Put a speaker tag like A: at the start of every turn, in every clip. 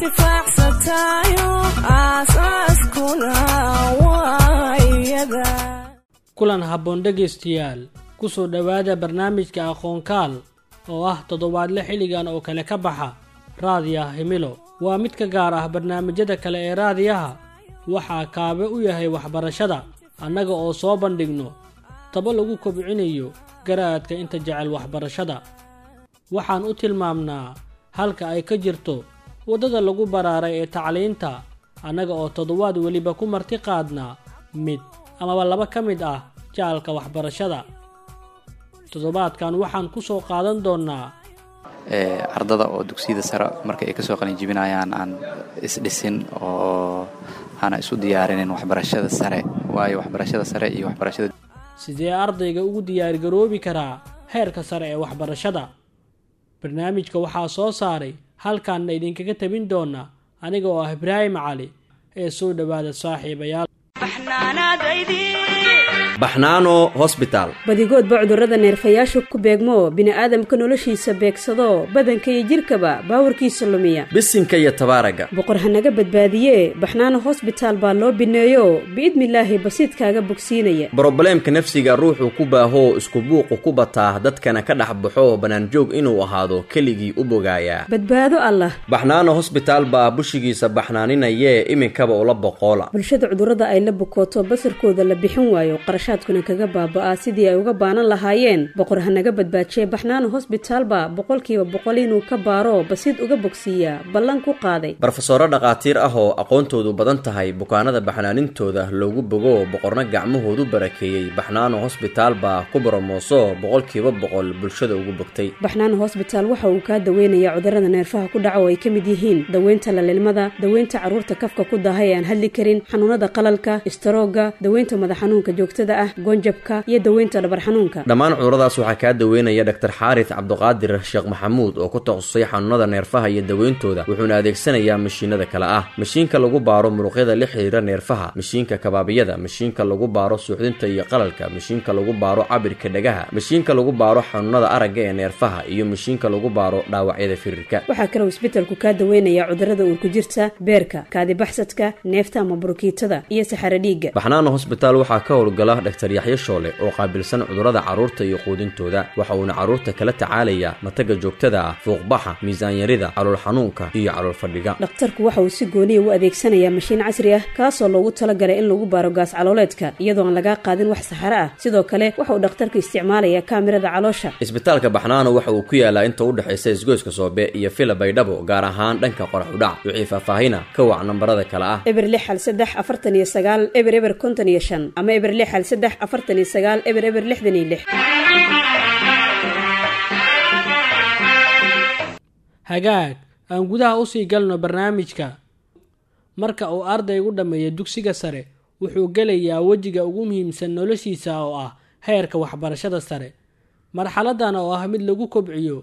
A: Anfacsantayo aasaaskuna waa iyada.
B: Kulan habboon dhegaystayaal, kusoo dhowaada barnaamijka Aqoonkaal oo ah toddobaadle xilligan oo kale ka baxa Raadiyaha Himilo. Waa mid ka gaar ah barnaamijyada kale ee raadiyaha, waxaa kaabe u yahay waxbarashada, annaga oo soo bandhigno tabo lagu kobcinayo garaadka inta jecel waxbarashada. Waxaan u tilmaamnaa halka ay ka jirto waddada lagu baraaray ee tacliinta, annaga oo toddobaad weliba ku marti qaadnaa mid amaba laba ka mid ah jaalka waxbarashada. Toddobaadkan waxaan ku soo qaadan doonnaa
C: ardada oo dugsiyada sare marka ay kasoo qalinjibinayaan aan isdhisin oo aana isu diyaarinin waxbarashada sare, waayo waxbarashada sare iyo waxbarashada
B: Sidee ardayga ugu diyaargaroobi karaa heerka sare ee waxbarashada? Barnaamijka waxaa soo saaray, halkaanna idinkaga tabin doona aniga oo ah Ibraahim Cali. Ee soo dhowaada saaxiibayaal.
D: Baxnaano Hosbitaal.
E: Badigoodba cudurrada neerfayaashu ku beegmo, bini'aadamka noloshiisa beegsado, badanka iyo jidhkaba baawarkiisa lumiya,
D: bisinka iyo tabaaraga,
E: Boqor hanaga badbaadiye. Baxnaano Hosbitaal baa loo bineeyo, biidnilaahi basiidkaaga bogsiinaya.
D: Brobleemka nafsiga ruuxuu ku baahoo isku buuqu ku bataa, dadkana ka dhex baxo, bannaanjoog inuu ahaado keligii u bogaayaa.
E: Badbaado Allah.
D: Baxnaano Hosbitaal baa bushigiisa baxnaaninayee, iminkaba ula boqoola.
E: Bulshada cudurrada ay la bukooto, basarkooda la bixin waayo, qarashaadkuna kaga baaba'aa, sidii ay uga baanan lahaayeen, Boqor hanaga badbaajiye. Baxnaano Hosbitaal baa 100% inuu ka baaro, basiid uga bogsiiyaa ballan ku qaaday.
D: Barofesoro dhakhaatiir ah oo aqoontoodu badan tahay, bukaanada baxnaanintooda loogu bogo, Boqorna gacmahoodu barakeeyey, Baxnaano Hosbitaal baa ku boromooso 100% bulshada ugu bogtay.
E: Baxnaano Hosbitaal waxa uu kaa daweynayaa cudurrada neerfaha ku dhaca oo ay ka mid yihiin daweynta lalilmada, daweynta carruurta kafka ku daahay ee aan hadli karin, xanuunada qalalka, istaroogga, daweynta madax xanuunka joogtada ah, goonjabka iyo daweynta dhabar xanuunka.
D: Dhammaan cuduradaas waxaa kaa daweynaya Dhaktar Xaaris Cabduqaadir Sheekh Maxamuud oo ku takhasusay xanuunada neerfaha iyo daweyntooda, wuxuuna adeegsanayaa mashiinada kale ah: mashiinka lagu baaro muruqyada la xiriira neerfaha, mashiinka kabaabiyada, mashiinka lagu baaro suuxdinta iyo qalalka, mashiinka lagu baaro cabirka dhagaha, mashiinka lagu baaro xanuunada aragga ee neerfaha iyo mashiinka lagu baaro dhaawacyada firirka.
E: Waxaa kaloo isbitalku kaa daweynayaa cudurrada uurku jirta, beerka, kaadibaxsadka, neefta ama burukiitada iyo saxaro dhiigga.
D: Baxnaano Hosbitaal waxaa ka howlgala Dhaktar Yaxyo Shoole oo qaabilsan cudurrada carruurta iyo quudintooda. Waxa uuna carruurta kala tacaalayaa mataga joogtada ah, fuuqbaxa, miisaanyarida, calool xanuunka iyo calool fadhiga.
E: Dhakhtarku waxa uu si gooniya u adeegsanayaa mashiin casri ah, kaasoo loogu talagalay in lagu baaro gaas calooleedka iyadoo aan lagaa qaadin wax saxaro ah. Sidoo kale waxa uu dhakhtarku isticmaalayaa kaamirada caloosha.
D: Isbitaalka Baxnaano waxa uu ku yaalaa inta u dhexaysa isgoyska Soobe iyo Fila Baydhabo, gaar ahaan dhanka qorax udhac. Wixii faahfaahina ka wac nambarada kale ah
E: 0613 49 00 55 ama 0613 49 00 66.
B: Hagaag, aan gudaha usii galno barnaamijka. Marka uu ardaygu dhammeeyo dugsiga sare, wuxuu gelayaa wejiga ugu muhiimsan noloshiisa oo ah heerka waxbarashada sare. Marxaladan oo ah mid lagu kobciyo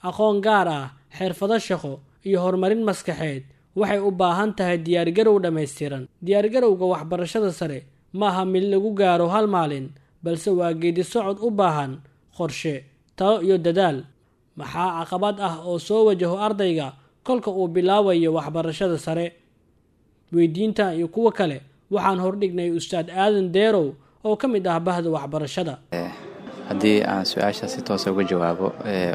B: aqoon gaar ah, xirfado shaqo iyo horumarin maskaxeed, waxay u baahan tahay diyaargarow dhammaystiran. Diyaargarowga waxbarashada sare ma aha mid lagu gaaro hal maalin, balse waa geedi socod u baahan qorshe, talo iyo dadaal. Maxaa caqabad ah oo soo wajaho ardayga kolka uu bilaabayo waxbarashada sare? Weydiinta iyo kuwo kale waxaan hordhignay Ustaad Aadan Deerow oo ka mid ah bahda waxbarashada.
C: Haddii aan su-aasha si toosa uga jawaabo,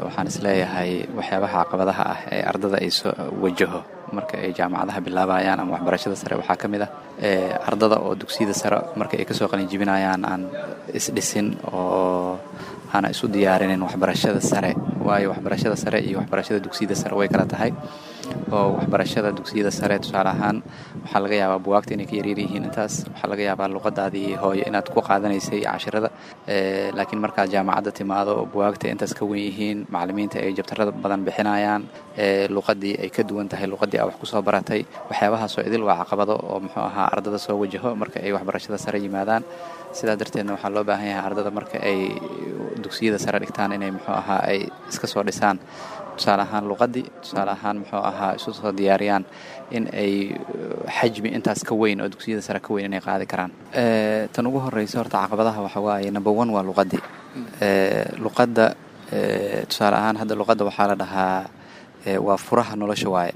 C: waxaan isleeyahay waxyaabaha caqabadaha ah ee ardada ay soo wajaho marka ay jaamacadaha bilaabayaan ama waxbarashada sare waxaa ka mid ah ardada oo dugsiyada sare marka ay kasoo qalinjibinayaan aan isdhisin oo aana isu diyaarinin waxbarashada sare, waayo waxbarashada sare iyo waxbarashada dugsiyada sare way kala tahay. Oo waxbarashada dugsiyada sare, tusaale ahaan, waxaa laga yaabaa buwaagta inay ka yaryar yihiin intaas, waxaa laga yaabaa luqadaadii hooyo inaad ku qaadanaysay cashirada, laakiin markaad jaamacadda timaado, buwaagta intaas ka wen yihiin, macallimiinta ay jabtarada badan bixinayaan, luqadii ay ka duwan tahay luqadii aa wax kusoo baratay. Waxyaabahaasoo idil waa caqabado oo muxuu ahaa ardada soo wajaho marka ay waxbarashada sare yimaadaan. Sidaa darteedna waxaa loo baahan yahay ardada marka ay dugsiyada sare dhigtaan inay muxuu ahaa ay iska soo dhisaan, tusaale ahaan luqadii, tusaale ahaan muxuu ahaa isu soo diyaariyaan in ay xajmi intaas ka weyn oo dugsiyada sare ka weyn inay qaadi karaan. Tan ugu horeysa horta caqabadaha waxa waaye, number one, waa luqadii. Luqadda, tusaale ahaan, hadda luqadda waxaa la dhahaa waa furaha nolosha waaye.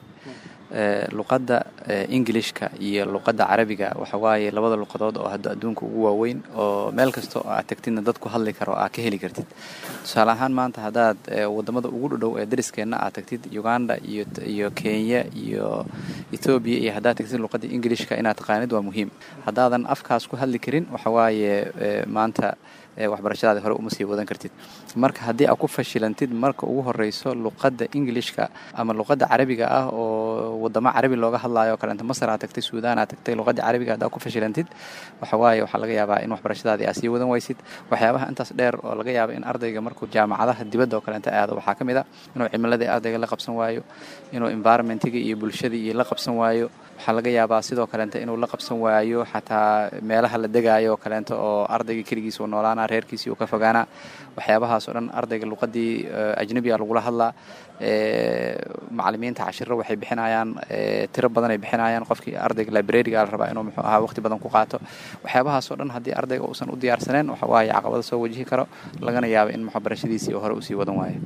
C: Luqadda Ingilishka iyo luqadda Carabiga waxa waaye labada luqadood oo hadda adduunka ugu waaweyn, oo meel kasta oo aad tagtidna dad ku hadli karo aad ka heli kartid. Tusaale ahaan, maanta haddaad wadamada ugu dhodhow ee dariskeenna aad tagtid, Uganda iyo Kenya iyo Etoobiya iyo haddaad tagtid, luqadda Ingilishka inaad taqaanid waa muhiim. Haddaadan afkaas ku hadli karin, waxa waaye maanta waxbarashadaadi hore uma sii wadan kartid. Marka haddii aad ku fashilantid marka ugu horeyso luqadda Ingilishka ama luqadda Carabiga ah oo wadamo Carabi looga hadlayo oo kaleento, Masar aad tagtay, Suudaan aad tagtay, luqadda Carabiga haddaad ku fashilantid, waxa waaye waxaa laga yaabaa in waxbarashadaadii aad sii wadan waysid. Waxyaabaha intaas dheer oo laga yaaba in ardayga markuu jaamacadaha dibadda oo kaleento aado waxaa ka mid a inuu cimiladii ardayga la qabsan waayo, inuu environmentiga iyo bulshadii iyo la qabsan waayo. Waxaa laga yaabaa sidoo kaleento inuu la qabsan waayo xataa meelaha la degaayo oo kaleento, oo ardayga keligiis uu noolaana, reerkiisii uu ka fogaana. Waxyaabahaas oo dhan, ardayga luqadii ajnabiga lagula hadlaa, macalimiinta cashiro waxay bixinayaan tiro badan ay bixinayaan, qofkii ardayga libraryga la rabaa inuu muxuu ahaa waqti badan ku qaato. Waxyaabahaas oo dhan haddii ardayga uusan u diyaarsaneen, waxa waaye caqabada soo wajihi karo, lagana yaabo in waxbarashadiisii hore usii wadan waayo.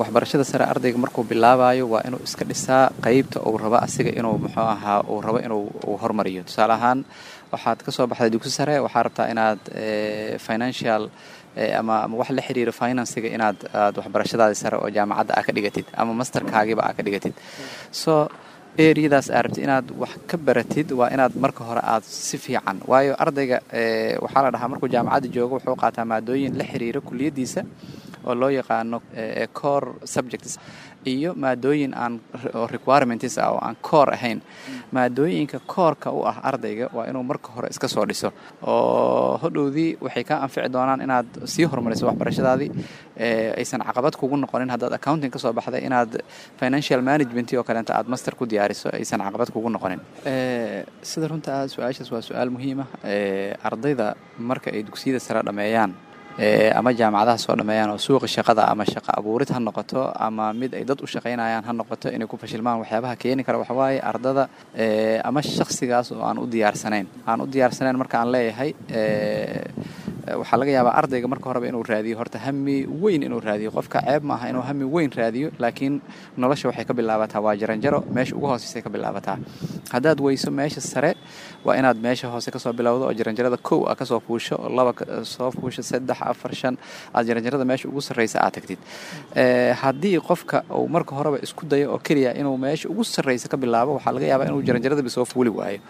C: Waxbarashada sare ardayga markuu bilaabayo waa inuu iska dhisaa qeybta uu rabo asiga inuu muxuu ahaa uu rabo inuu uu hormariyo. Tusaale ahaan, waxaad ka soo baxday dugsi sare, waxaa rabtaa inaad financial ama wax la xiriiro financiga inaad aad waxbarashadaadi sare oo jaamacadda aa ka dhigatid ama masterkaagiba aa ka dhigatid. So areadaas aa rabtid inaad wax ka baratid waa inaad marka hore aad si fiican, waayo ardayga waxaa la dhahaa markuu jaamacadda joogo wuxuu qaataa maadooyin la xiriira kuliyaddiisa oo loo yaqaano core subjects iyo maadooyin aan oo requirements ah oo aan core ahayn. Maadooyinka coreka u ah ardayga waa inuu marka hore iska soo dhiso, oo hodhowdii waxay kaa anfici doonaan inaad sii horumariso waxbarashadaadii, aysan caqabad kugu noqonin haddaad accounting ka soo baxday inaad financial management oo kaleenta aad master ku diyaariso, aysan caqabad kugu noqonin. Sida runta ah, su-aashaas waa su-aal muhiim ah. Ardayda marka ay dugsiyada sare dhameeyaan ama jaamacadaha soo dhameeyaan oo suuqa shaqada ama shaqo abuurid ha noqoto ama mid ay dad u shaqaynayaan ha noqoto, inay ku fashilmaan waxyaabaha keeni kara waxa waaye ardada ama shakhsigaas oo aan u diyaarsanayn. Aan u diyaarsanayn marka aan leeyahay, waxaa laga yaabaa ardayga marka horeba inuu raadiyo horta hami weyn inuu raadiyo. Qofka ceeb maaha inuu hami weyn raadiyo, laakiin nolosha waxay ka bilaabataa waa jaranjaro, meesha ugu hooseysay ka bilaabataa. Haddaad weyso meesha sare, waa inaad meesha hoose kasoo bilowdo oo jaranjarada kow a kasoo fuusho, laba soo fuusho, saddex, afar, shan, aad jaranjarada meesha ugu sarreysa aad tagtid. Haddii qofka uu marka horeba isku dayo oo keliya inuu meesha ugu sarreysa ka bilaabo, waxaa laga yaabaa inuu jaranjaradaba soo fuuli waayo.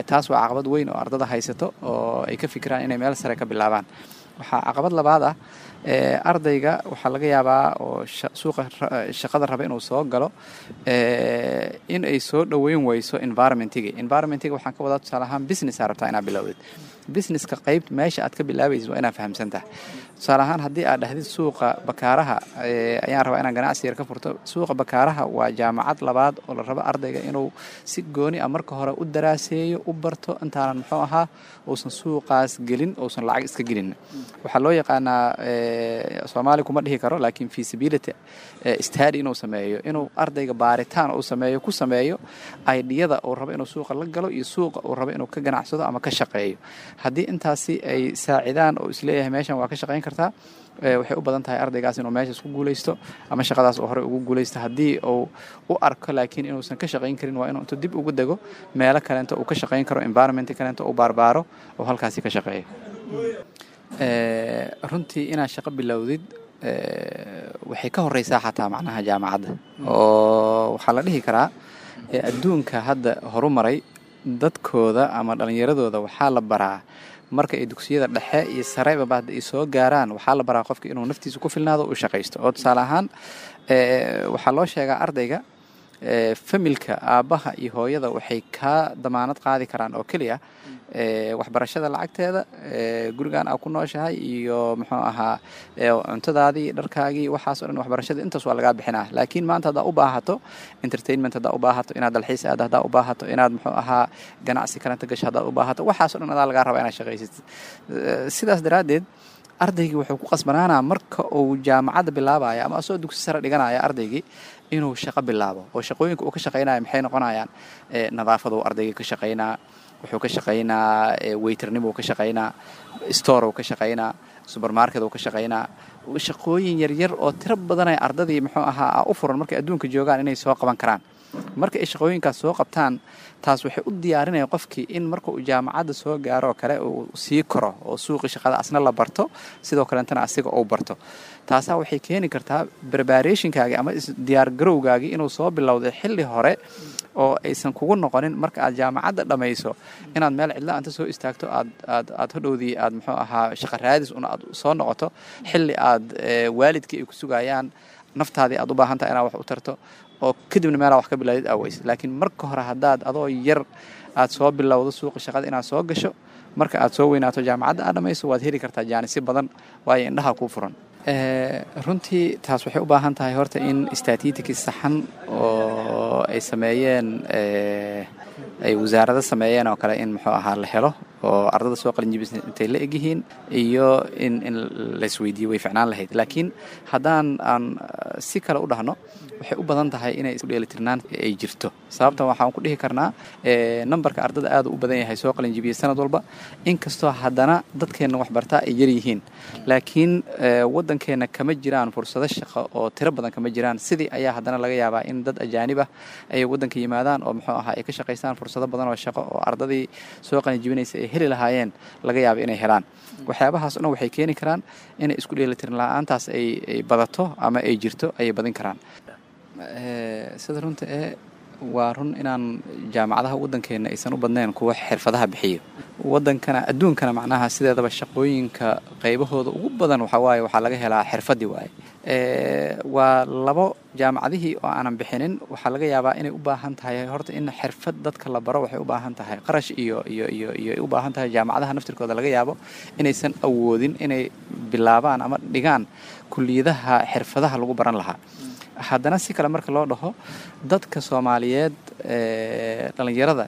C: Taas waa caqabad weyn oo ardada haysato oo ay ka fikiraan inay meel sare ka bilaabaan. Waxaa caqabad labaad ah, ardayga waxaa laga yaabaa oo suuqa shaqada raba inuu soo galo in ay soo dhoweyn weyso environmentiga. Environmentiga waxaan ka wadaa, tusaale ahaan, business aa rabtaa inaad bilowdid. Businesska qayb meesha aad ka bilaabaysid waa inaad fahamsan tahay. Tusaale ahaan, haddii aad dhahdid suuqa Bakaaraha ayaan rabaa inaan ganacsi yar ka furto, suuqa Bakaaraha waa jaamacad labaad oo la rabo ardayga inuu si gooni ah marka hore u daraaseeyo, u barto, intaanan muxuu ahaa uusan suuqaas gelin, uusan lacag iska gelin. Waxaa loo yaqaanaa, Soomaali kuma dhihi karo, laakiin feasibility study inuu sameeyo, inuu ardayga baaritaan uu sameeyo, ku sameeyo ideada uu rabo inuu suuqa la galo iyo suuqa uu rabo inuu ka ganacsado ama ka shaqeeyo. Haddii intaasi ay saacidaan oo isleeyahay meeshan waa ka shaqayn kartaa, waxay u badan tahay ardaygaas inuu meeshaas ku guuleysto ama shaqadaas uu horey ugu guuleysto. Haddii uu u arko laakiin inuusan ka shaqayn karin, waa inuu intuu dib ugu dego meelo kaleento uu ka shaqayn karo, environment kaleento uu baarbaaro oo halkaasi ka shaqeeyo. Runtii inaad shaqo bilowdid waxay ka horeysaa xataa macnaha jaamacadda, oo waxaa la dhihi karaa adduunka hadda horumaray dadkooda ama dhallinyaradooda waxaa la baraa marka ay dugsiyada dhexe iyo sareba hadda ay soo gaaraan, waxaa la baraa qofka inuu naftiisa ku filnaado, uu shaqaysto. Oo tusaale ahaan, waxaa loo sheegaa ardayga, familka aabbaha iyo hooyada waxay kaa damaanad qaadi karaan oo keliya waxbarashada lacagteeda, gurigan aa ku nooshahay iyo muxuu ahaa cuntadaadii, dharkaagii, waxaas o dhan. Waxbarashada intaas waa lagaa bixinaa, laakiin maanta haddaa u baahato entertainment, haddaa u baahato inaad dalxiis aado, haddaa u baahato inaad muxuu ahaa ganacsi kalenta gasho, haddaad u baahato, waxaas o dhan adaa lagaa rabaa inaad shaqaysatid. Sidaas daraaddeed ardaygii wuxuu ku qasbanaanaa marka uu jaamacadda bilaabaya ama asagoo dugsi sare dhiganaya ardaygii inuu shaqo bilaabo, oo shaqooyinka uu ka shaqaynaya maxay noqonayaan? Nadaafaduu ardaygii ka shaqaynaa, wuxuu ka shaqaynaa waiternimuu ka shaqaynaa, store uu ka shaqaynaa, supermarket uu ka shaqaynaa. Shaqooyin yaryar oo tiro badanay ardadii muxuu ahaa u furan markay adduunka joogaan inay soo qaban karaan. Marka ay shaqooyinkaas soo qabtaan, taas waxay u diyaarinaya qofkii in marka uu jaamacadda soo gaaro oo kale uu sii koro oo suuqii shaqada asna la barto, sidoo kaleetana asiga uu barto. Taasaa waxay keeni kartaa preparationkaagii ama diyaargarowgaagii inuu soo bilowday xilli hore, oo aysan kugu noqonin marka aad jaamacadda dhammayso inaad meel cidla anta soo istaagto, aad hodhowdii aad muxuu ahaa shaqa raadis una aad soo noqoto, xilli aad waalidkii ay ku sugayaan, naftaadii aad u baahan tahay inaad wax u tarto, oo kadibna meelaa wax ka bilaadid aaweys. Laakiin marka hore haddaad adoo yar aad soo bilowdo suuqa shaqada inaad soo gasho, marka aad soo weynaato, jaamacadda aad dhamayso, waad heli kartaa jaanisyo badan, waayo indhaha kuu furan. Runtii taas waxay u baahan tahay horta in statistics saxan oo ay sameeyeen, ay wasaarado sameeyeen oo kale, in muxuu ahaa la helo oo ardada soo qalinjibisa intay la egyihiin iyo in laisweydiiyo way ficnaan lahayd. Laakiin haddaan aan si kale u dhahno, waxay u badan tahay inay isku dheelitirnaan ay jirto. Sababtan waxaan ku dhihi karnaa, nambarka ardada aad u badan yahay soo qalinjibiyey sanad walba, inkastoo haddana dadkeenna waxbartaa ay yar yihiin, laakiin waddankeenna kama jiraan fursado shaqo oo tiro badan kama jiraan. Sidii ayaa haddana laga yaabaa in dad ajaanib ah ay waddanka yimaadaan oo muxuu ahaa ay ka shaqaystaan, fursado badan oo shaqo oo ardadii soo qalinjibinaysa ay heli lahaayeen laga yaaba inay helaan. Waxyaabahaas o dhan waxay keeni karaan inay isku dheelitiran la-aantaas ay badato ama ay jirto ayay badin karaan. Sida runta ee waa run inaan jaamacadaha waddankeenna aysan u badnayn kuwa xirfadaha bixiyo. Waddankana, adduunkana, macnaha sideedaba shaqooyinka qaybahooda ugu badan waxaa waaye waxaa laga helaa xirfadii waaye. Waa labo jaamacadihii oo aanan bixinin. Waxaa laga yaabaa inay u baahan tahay horta in xirfad dadka la baro, waxay u baahan tahay qarash iyo ay u baahan tahay. Jaamacadaha naftirkooda laga yaabo inaysan awoodin inay bilaabaan ama dhigaan kuliyadaha xirfadaha lagu baran lahaa. Haddana si kale marka loo dhaho, dadka Soomaaliyeed, dhalinyarada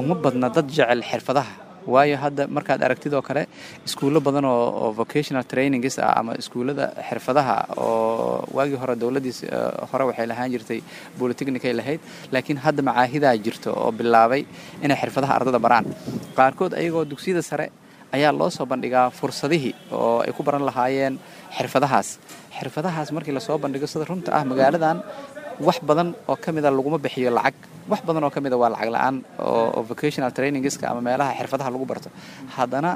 C: uma badna dad jecel xirfadaha, waayo hadda markaad aragtid oo kale iskuullo badan oo vocational trainings ah ama iskuullada xirfadaha oo waagii hore dowladdiis hore waxay lahaan jirtay polytechnic ay lahayd, laakiin hadda macaahidaa jirto oo bilaabay inay xirfadaha ardada baraan. Qaarkood ayagoo dugsiyada sare ayaa loo soo bandhigaa fursadihii oo ay ku baran lahaayeen xirfadahaas. Xirfadahaas markii lasoo bandhigo, sida runta ah, magaaladan wax badan oo ka mida laguma bixiyo lacag, wax badan oo ka mida waa lacag la-aan oo vocational trainingska ama meelaha xirfadaha lagu barto. Haddana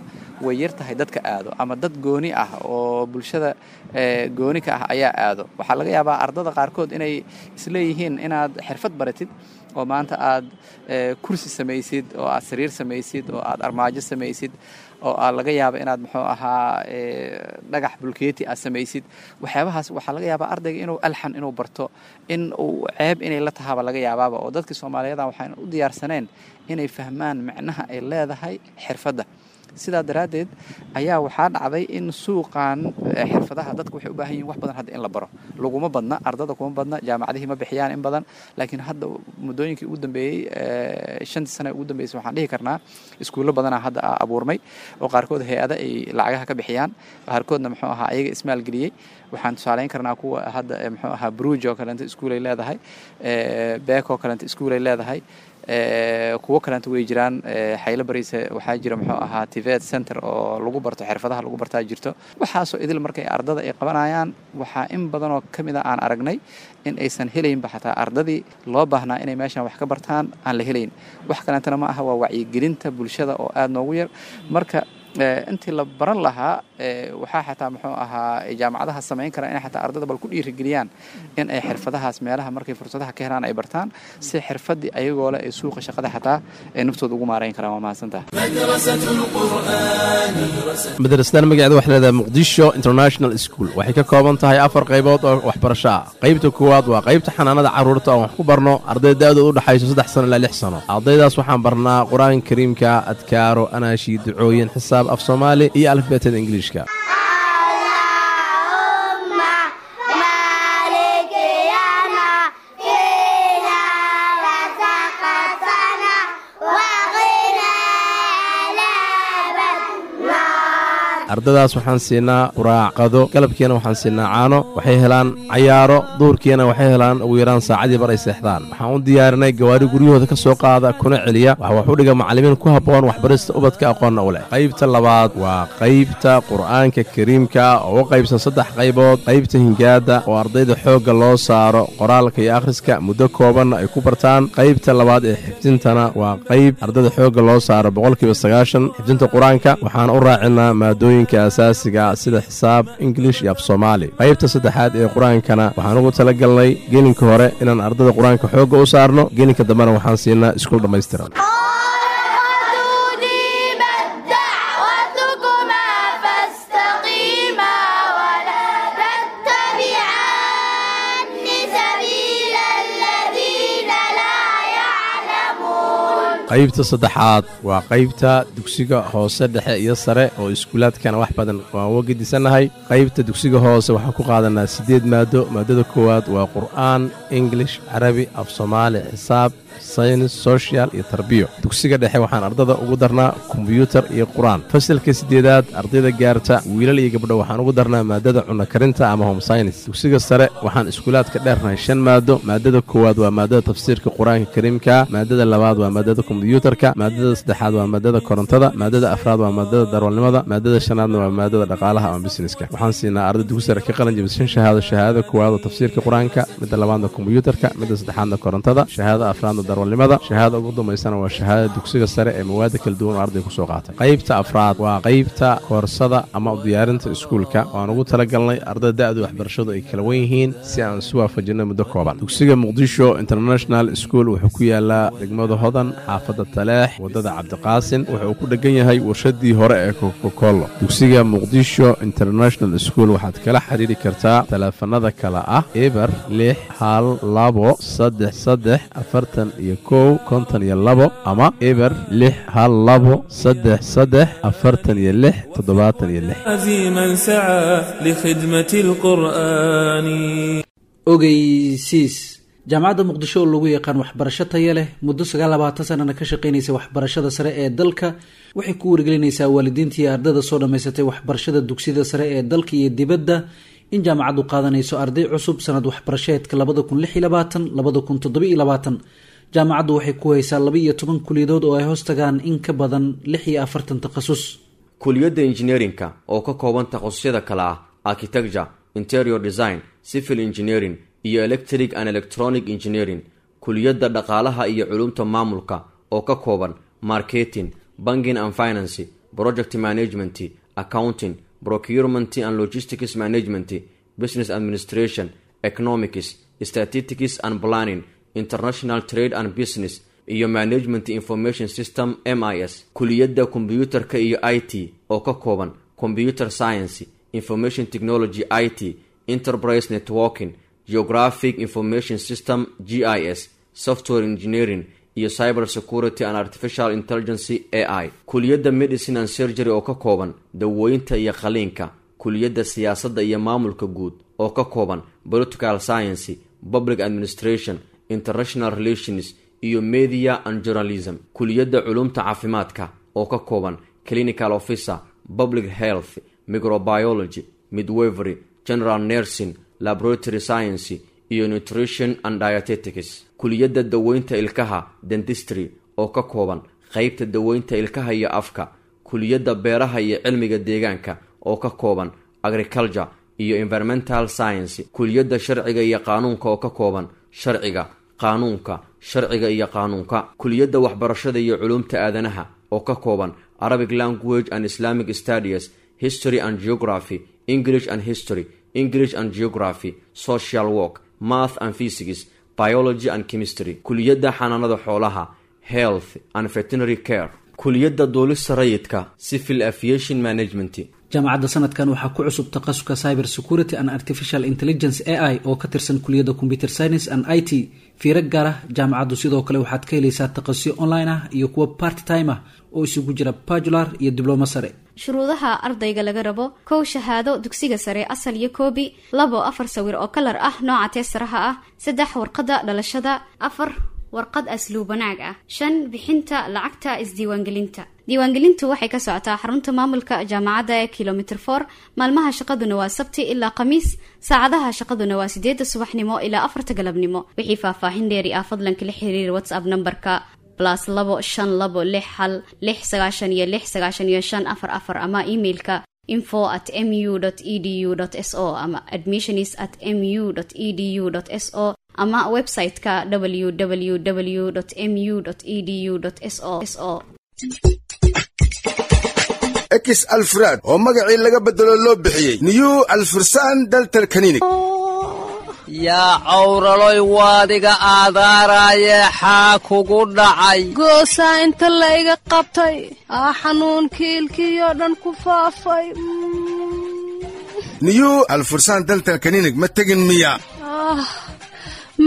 C: way yar tahay dadka aado, ama dad gooni ah oo bulshada gooni ka ah ayaa aado. Waxaa laga yaabaa ardada qaarkood inay isleeyihiin inaad xirfad baratid oo maanta aad kursi samaysid oo aad sariir samaysid oo aad armaajo samaysid oo aa laga yaaba inaad muxuu ahaa dhagax bulkeeti aad samaysid, waxyaabahaas waxaa laga yaabaa ardayga inuu alxan inuu barto in uu ceeb inay la tahaaba laga yaabaaba, oo dadkii Soomaaliyeeda waxaan u diyaarsaneen inay fahmaan macnaha ay leedahay xirfadda. Sidaa daraaddeed ayaa waxaa dhacday in suuqan xirfadaha dadka waxay u baahan yihin wax badan hadda in la baro. Laguma badna, ardada kuma badna, jaamacadihii ma bixiyaan in badan. Laakiin hadda muddooyinkii ugu dambeeyey, 5-tii sana ugu dambeysay, waxaan dhihi karnaa iskuullo badanaa hadda abuurmay oo qaarkood hay-ada ay lacagaha ka bixiyaan, qaarkoodna muxuu ahaa ayaga ismaalgeliyey. Waxaan tusaaleyn karnaa kuwa hadda muxuu ahaa Bruj oo kaleento iskuulay leedahay, Beek oo kaleento iskuulay leedahay, kuwo kaleento way jiraan. Xaylo Bariise waxaa jira muxuu ahaa TVET center oo lagu barto xirfadaha lagu bartaa jirto. Waxaasoo idil markay ardada ay qabanayaan, waxaa in badan oo ka mid a aan aragnay in aysan helaynba xataa ardadii loo baahnaa inay meeshan wax ka bartaan aan la helayn. Wax kaleentana ma aha, waa wacyigelinta bulshada oo aada noogu yar. Marka intii la baran lahaa, waxaa xataa muxuu ahaa jaamacadaha samayn karaa inay xataa ardada bal ku dhiirigeliyaan in ay xirfadahaas meelaha markay fursadaha ka helaan ay bartaan, si xirfadii ayagoo leh ay suuqa shaqada xataa ay naftooda ugu maarayn karaan. Waa mahadsantaha.
F: Madrasadan magaceeda waxay leedahay Muqdisho International School. Waxay ka kooban tahay afar qaybood oo waxbarasho ah. Qaybta koowaad waa qaybta xanaanada carruurta oo wax ku barno arday da'dooda u dhexayso 3 sano ilaa 6 sano. Ardaydaas waxaan barnaa Qur-aanka Kariimka, adkaaro, anaashi, ducooyin, xisaab, af Soomaali iyo alifbeetada Ingiliishka. Ardadaas waxaan siinaa quraac, qado, galabkiina waxaan siinaa caano. Waxay helaan cayaaro, duurkiina waxay helaan ugu yaraan saacadii bar ay seexdaan. Waxaan u diyaarinay gawaari guryahooda ka soo qaada kuna celiya. Waxa wax u dhiga macallimiin ku habboon waxbarista ubadka, aqoonna u leh. Qaybta labaad waa qaybta Qur'aanka Kariimka oo u qaybsan saddex qaybood: qaybta hingaadda oo ardayda xoogga loo saaro qoraalka iyo akhriska, muddo koobanna ay ku bartaan. Qaybta labaad ee xifdintana waa qayb ardayda xoogga loo saaro 90% xifdinta Qur-aanka. Waxaan u raacinaa maadooyinka asaasiga sida xisaab, Ingilish iyo af Soomaali. Qaybta saddexaad ee Qur-aankana waxaan ugu talagalnay gelinka hore inaan ardayda Qur-aanka xoogga u saarno, gelinka dambena waxaan siinaa iskuul dhammaystiran.
G: دعوتكما فاستقيما ولا تتبعان سبيل الذين لا يعلمون.
F: Qaybta saddexaad waa qaybta dugsiga hoose, dhexe iyo sare oo iskuulaadkana wax badan waan uga gedisannahay. Qaybta dugsiga hoose waxaan ku qaadanaa siddeed maado. Maadada koowaad waa Qur'aan, English, Carabi, af Soomaali, xisaab, saynis, social iyo tarbiyo. Dugsiga dhexe waxaan ardada ugu darnaa kombyuutar iyo Qur-aan. Fasalka siddeedaad ardayda gaarta, wiilal iyo gabdho, waxaan ugu darnaa maadada cunno karinta ama home science. Dugsiga sare waxaan iskuulaadka dheernahay shan maado. Maadada koowaad waa maadada tafsiirka Qur-aanka Kariimka, maadada labaad waa maadada kombyuutarka, maadada saddexaad waa maadada korontada, maadada afraad waa maadada darwalnimada, maadada shanaadna waa maadada dhaqaalaha ama businesska. Waxaan siinaa arday dugsi sare ka qalin jabisay shan shahaado: shahaadada koowaad oo tafsiirka Qur-aanka, midda labaadna kombyuutarka, midda saddexaadna korontada, shahaadada afraadna darwalnimada, shahaada ugu dambaysana waa shahaadada dugsiga sare ee mawaada kala duwan oo arday kusoo qaatay. Qaybta afraad waa qaybta koorsada ama diyaarinta iskuulka oo aan ugu talagalnay ardayda da'du waxbarashadu ay kala wen yihiin si aan isu waafajinno muddo kooban. Dugsiga Muqdisho International School wuxuu ku yaalaa degmada Hodan, xaafadda Taleex, waddada Cabdiqaasin. Wuxuu ku dhegan yahay warshadii hore ee Kokokolo. Dugsiga Muqdisho International School waxaad kala xiriiri kartaa taleefanada kale ah 061 233 41 52 ama 061 233 46 76.
H: من سعى لخدمة القرآن.
I: Ogeysiis: Jaamacadda Muqdisho oo lagu yaqaan waxbarasho taya leh, muddo 29 sanana ka shaqeynaysa waxbarashada sare ee dalka, waxay ku wargelinaysaa waalidiinta iyo ardayda soo dhammaysatay waxbarashada dugsiyada sare ee dalka iyo dibadda in jaamacaddu qaadanayso arday cusub sanad waxbarasheedka 2026, 2027. Jaamacaddu waxay ku haysaa 12 kuliyadood oo ay hoos tagaan in ka badan 46 takhasus.
D: Kuliyadda injineerinka oo ka kooban takhasusyada kale ah architecture, interior design, civil engineering iyo electric and electronic engineering. Kuliyadda dhaqaalaha iyo culumta maamulka oo ka kooban marketing, banking and finance, project management, accounting, procurement and logistics management, business administration, economics, statistics and planning, international trade and business iyo management information system, MIS. Kuliyadda kombyuutarka iyo IT oo ka kooban computer science, information technology, IT, enterprise networking, geographic information system, GIS, software engineering iyo cyber security and artificial intelligence, AI. Kuliyadda medicine and surgery oo ka kooban dawooyinta iyo qaliinka. Kuliyadda siyaasadda iyo maamulka guud oo ka kooban political science, public administration, international relations iyo media and journalism. Kuliyadda culumta caafimaadka oo ka kooban clinical officer, public health, microbiology, midwifery, general nursing, laboratory science iyo nutrition and dietetics. Kuliyadda daweynta ilkaha, dentistry, oo ka kooban qeybta daweynta ilkaha iyo afka. Kuliyadda beeraha iyo cilmiga deegaanka oo ka kooban agriculture iyo environmental science. Kuliyadda sharciga iyo qaanuunka oo ka kooban sharciga, qaanuunka, sharciga iyo qaanuunka. Kuliyadda waxbarashada iyo culumta aadanaha oo ka kooban Arabic language and Islamic studies, history and geography, English and history, English and geography, social work, math and physics, biology and chemistry. Kuliyadda xanaanada xoolaha, health and veterinary care. Kuliyadda duulista rayidka, civil aviation management.
I: Jaamacadda sanadkan waxaa ku cusub takhasuska cyber security and artificial intelligence, AI, oo ka tirsan kuliyadda computer science and IT. Fiiro gaar ah: jaamacaddu sidoo kale waxaad ka helaysaa takhasusyo online ah iyo kuwo part time ah oo isugu jira bachelor iyo diblomo sare.
J: Shuruudaha ardayga laga rabo: kow, shahaado dugsiga sare asal iyo koobi; labo, afar sawir oo kalar ah nooca teesaraha ah; saddex, warqadda dhalashada; afar. Warqad asluub wanaag ah. 5, bixinta lacagta isdiiwaangelinta. Diiwaangelintu waxay ka socotaa xarunta maamulka jaamacadda ee Kilomitr 4. Maalmaha shaqaduna waa Sabti ilaa Khamiis, saacadaha shaqaduna waa 8da subaxnimo ilaa 4ta galabnimo. Wixii faahfaahin dheeri ah, fadlan kala xiriir WhatsApp nambarka +25261 696 9544 ama emailka info@mu.edu.so ama admissions@mu.edu.so ama website-ka www.mu.edu.so.
K: Ex Alfraad oo magacii laga bedelo loo bixiyey New Alfursaan Dental Clinic.
L: Yaa cawraloy, waadiga aadaaraaye, xaa kugu dhacay?
M: Goosaa inta la iga qabtay aa xanuunkii ilkiyoo dhan ku faafay.
K: New Alfursaan Dental Clinic ma tegin miya?
M: Ah,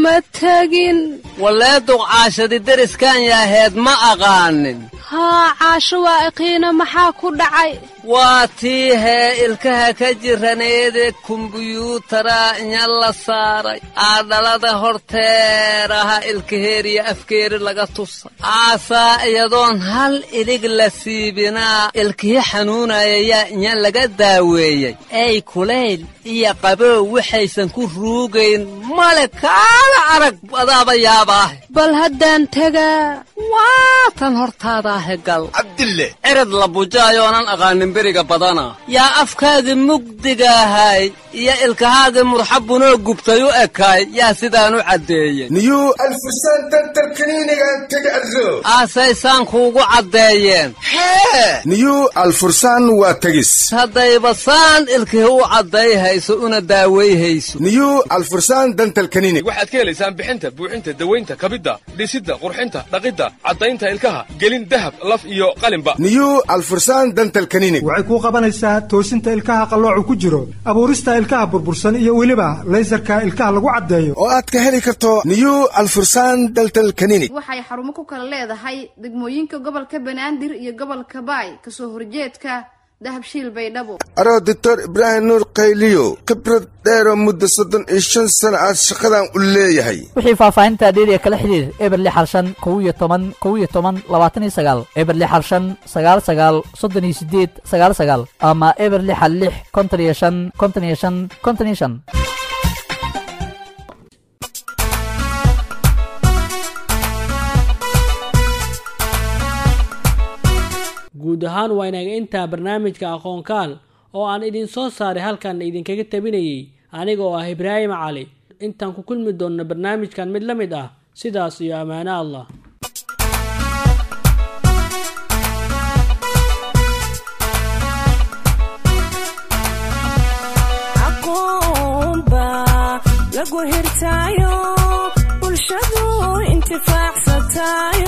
M: ma tegin.
L: Walee, duqcaashadi deriskan yaaheed ma aqaanin.
M: Haa, Caasho waa iqiina. Maxaa ku dhacay?
L: Waa tii hee ilkaha ka jiraneede kumbuyuutara inya la saaray, aadhalada horteeraha ilkaheeriya afkeeri laga tusa, aasaa iyadoon hal ilig la siibinaa ilkihi xanuunaya yaa inya laga daaweeyey. Ey, kulayl iyo qabow waxaysan ku ruugayn male. Kaala arag, adaaba yaabaahe.
M: Bal haddaan tegaa.
L: Waa tan hortaadaahe gal.
K: Cabdille.
L: Cirad la bujaayoonan aqaanin beriga badana yaa afkaagii mugdigaahay iyo ilkahaagii murxabunoo gubtay u ekaay yaa sidaan u caddeeyey.
K: New Alfursaan Dental Clinic-an tegi arso.
L: Aasaysaan kuugu caddeeyeen hee?
K: New Alfursaan waa tegis.
L: Haddayba saan ilkihi u caddayhayso una daawayhayso.
K: New Alfursaan Dental Clinic.
N: Waxaad ka helaysaan bixinta, buuxinta, dawaynta, kabidda, dhisidda, qurxinta, dhaqidda, caddaynta ilkaha, gelin dahab, laf iyo qalinba.
K: New Alfursaan Dental Clinic
O: waxay kuu qabanaysaa toosinta ilkaha qalloocu ku jiro, abuurista ilkaha burbursan iyo weliba laysarka ilkaha lagu caddeeyo.
K: Oo aad ka heli karto New Alfursaan Dental Clinic.
P: Waxay xarumo ku kala leedahay degmooyinka gobolka Banaadir iyo gobolka Baay, kasoo horjeedka Dahabshiil, Baydhabo.
K: Aroo Doctor Ibraahim Nuur Qayliyo, khibrad dheeroo muddo 35 sana aad shaqadan u leeyahay.
Q: Wixii faahfaahinta dheeriya kala xiriir 0615 11 11 29, 0615 99 38 99 ama 0616 55 55 55.
B: Guud ahaan waa inaga intaa barnaamijka Aqoonkaal oo aan idin soo saaray, halkan idinkaga tabinayay aniga oo ah Ibraahim Cali. Intaan ku kulmi doonno barnaamijkan mid la mid ah, sidaas iyo ammaano Allah.
A: Aqoon baa lagu hirtaayo, bulshadu intifaacsataayo.